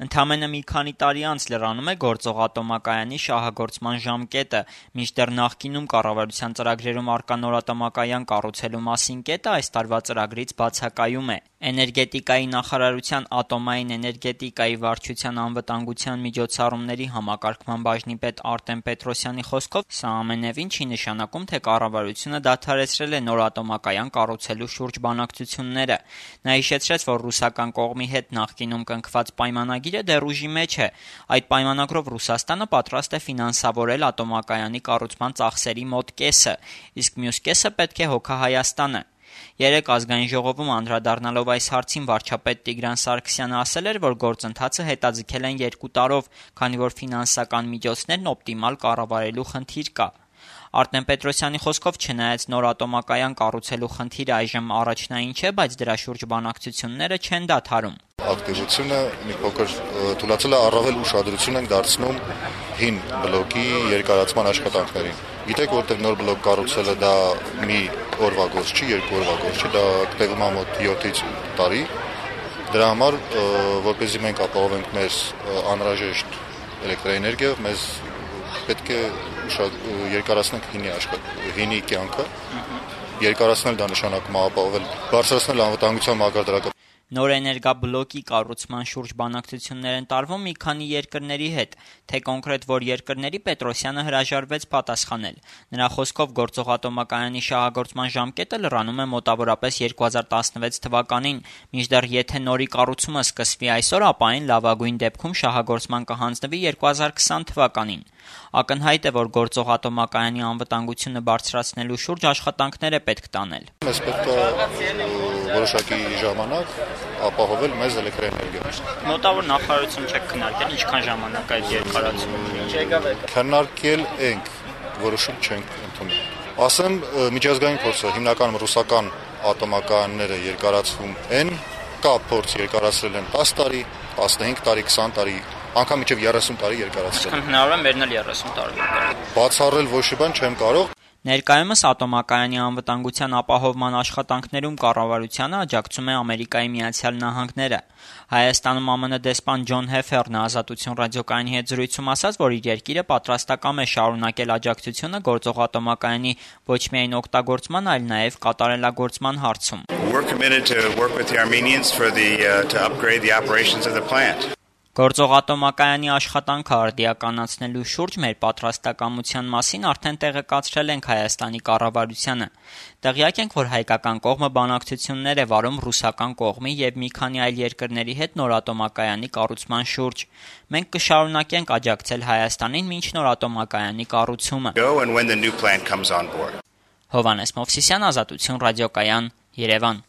Ընդամենը մի քանի տարի անց լրանում է գործող ատոմակայանի շահագործման ժամկետը, մինչդեռ նախկինում կառավարության ծրագրերում առկա նոր ատոմակայան կառուցելու մասին կետը այս տարվա ծրագրից բացակայում է։ Էներգետիկայի նախարարության ատոմային էներգետիկայի վարչության անվտանգության միջոցառումների համակարգման բաժնի պետ Արտեմ Պետրոսյանի խոսքով սա ամենևին չի նշանակում, թե կառավարությունը դադարեցրել է նոր ատոմակայան կառուցելու շուրջ բանակցությունները։ Նա հիշեցրեց, որ ռուսական կողմի հետ նախկինում կնքված պայմանագիրը դեռ ուժի մեջ է։ Այդ պայմանագրով Ռուսաստանը պատրաստ է ֆինանսավորել ատոմակայանի կառուցման ծախսերի մոտ կեսը, իսկ մյուս կեսը պետք է հոգա Հայաստանը։ Երեկ ազգային ժողովում անդրադառնալով այս հարցին վարչապետ Տիգրան Սարգսյանը ասել էր, որ գործընթացը հետաձգել են 2 տարով, քանի որ ֆինանսական միջոցներն օպտիմալ կառավարելու խնդիր կա։ Արտեմ Պետրոսյանի խոսքով չնայած նոր ատոմակայան կառուցելու խնդիրը այժմ առաջնային չէ, բայց դրա շուրջ բանակցությունները չեն դադարում։ Ակտիվությունը մի փոքր թուլացել է, առավել ուշադրություն ենք դարձնում հին բլոկի երկարացման աշխատանքներին։ Գիտեք, որտեղ նոր բլոկ կառուցելը դա մի օրվա գործ չի, 2 օրվա գործ չի, դա տևում է մոտ 7-ից 8 տարի։ Դրա համար, որպեսզի մենք ապահովենք մեր անհրաժեշտ էլեկտրաէներգիա, մեզ պետք է երկարացնենք հինի կյանքը։ Երկարացնել դա նշանակում է ապահովել, բարձրացնել անվտանգության մակարդակը։ Նոր էներգաբլոկի կառուցման շուրջ բանակցություններ են տարվում մի քանի երկրների հետ, թե կոնկրետ որ երկրների Պետրոսյանը հրաժարվեց պատասխանել։ Նրա խոսքով գործող ատոմակայանի շահագործման ժամկետը լրանում է մոտավորապես 2016 թվականին, մինչդեռ եթե նորի կառուցումը սկսվի այսօր, ապա այն լավագույն դեպքում շահագործման կհանձնվի 2020 թվականին։ Ակնհայտ է, որ գործող ատոմակայանի անվտանգությունը բարձրացնելու շուրջ աշխատանքներ է պետք տանել։ Մեզ պետք է որոշակի ժամանակ ապահովել մեզ էլեկտրաէներգիա։ Մոտավոր նախարարություն չեք քննարկել, ինչքան ժամանակ այդ երկարացումը։ Քննարկել ենք, որոշում չենք ընդունել։ Ասեմ, միջազգային փորձը հիմնականում ռուսական ատոմակայանները երկարացվում են, կա փորձ երկարացրել են 10 տարի, 15 տարի, 20 տարի, անգամ մինչև 30 տարի երկարացրել։ Իսկ հնարավոր է մերնել 30 տարի։ Բացառել ոչ մի բան չեմ կարող։ Ներկայումս ատոմակայանի անվտանգության ապահովման աշխատանքներում կառավարությանը աջակցում է Ամերիկայի Միացյալ Նահանգները։ Հայաստանում ԱՄՆ դեսպան Ջոն Հեֆերն Ազատություն ռադիոկայանի հետ զրույցում ասաց, որ իր երկիրը պատրաստակամ է շարունակել աջակցությունը գործող ատոմակայանի ոչ միայն օգտագործման, այլ նաև կատարելագործման հարցում։ Գործող ատոմակայանի աշխատանքը արդիականացնելու շուրջ մեր պատրաստակամության մասին արդեն տեղեկացրել ենք Հայաստանի կառավարությանը։ Տեղյակ ենք, որ հայկական կողմը բանակցություններ է վարում ռուսական կողմի և մի քանի այլ երկրների հետ նոր ատոմակայանի կառուցման շուրջ։ Մենք կշարունակենք աջակցել Հայաստանին մինչ նոր ատոմակայանի կառուցումը։ Հովհաննես Մովսիսյան, Ազատություն ռադիոկայան, Երևան։